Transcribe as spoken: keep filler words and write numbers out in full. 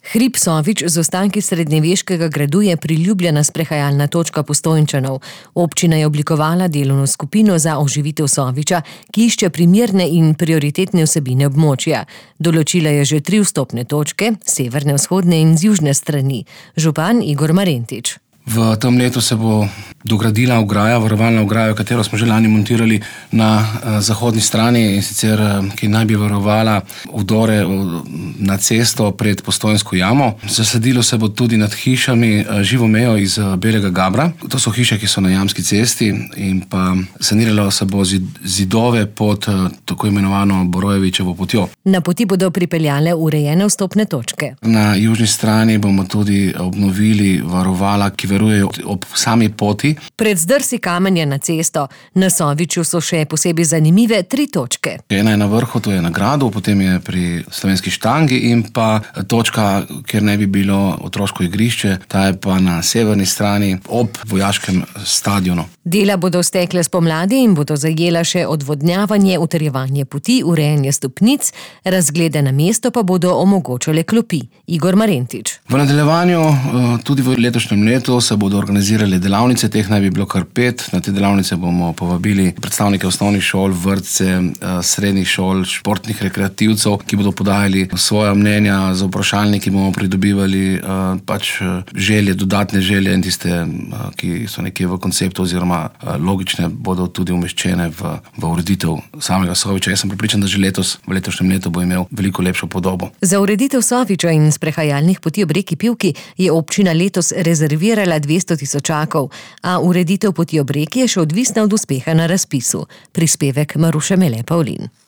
Hrib Sovič z ostanki srednjeveškega gradu je priljubljena sprehajalna točka Postojnčanov. Občina je oblikovala delovno skupino za oživitev Soviča, ki išče primerne in prioritetne vsebine območja. Določila je že tri vstopne točke, severne, vzhodne in z južne strani. Župan Igor Marentič. V tem letu se bo dogradila ograja, varovalna ograja, katero smo že lani montirali na uh, zahodni strani, in sicer, uh, ki naj bi varovala vdore uh, na cesto pred Postojnsko jamo. Zasadilo se bo tudi nad hišami uh, živo mejo iz uh, belega gabra. To so hiše, ki so na Jamski cesti, in pa saniralo se bo zid, zidove pod uh, tako imenovano Borojevičevo potjo. Na poti bodo pripeljale urejene vstopne točke. Na južni strani bomo tudi obnovili varovala, ki verujejo ob sami poti. Pred zdrsi kamenja na cesto na Soviču so še posebej zanimive tri točke. Ena je na vrhu, to je na gradu, potem je pri Slovenski štangi in pa točka, kjer ne bi bilo otroško igrišče, ta je pa na severni strani ob vojaškem stadionu. Dela bodo stekle spomladi in bodo zajela še odvodnjavanje, utrjevanje poti, urejanje stopnic, razglede na mesto pa bodo omogočale klopi. Igor Marentič. V nadaljevanju tudi v letošnjem letu se bodo organizirale delavnice, teh naj bi bilo kar pet. Na te delavnice bomo povabili predstavnike osnovnih šol, vrtce, srednjih šol, športnih rekreativcev, ki bodo podajali svoja mnenja, za vprašalniki bomo pridobivali pač želje, dodatne želje, in tiste, ki so nekje v konceptu oziroma logične, bodo tudi umeščene v, v ureditev samega Soviča. Jaz sem prepričan, da že letos, v letošnjem letu bo imel veliko lepšo podobo. Za ureditev Soviča in sprehajalnih poti ob reki Pivki je občina letos rezervirala dvesto tisočakov, a ureditev poti ob reki je še odvisna od uspeha na razpisu. Prispevek Maruše Mele Pavlin.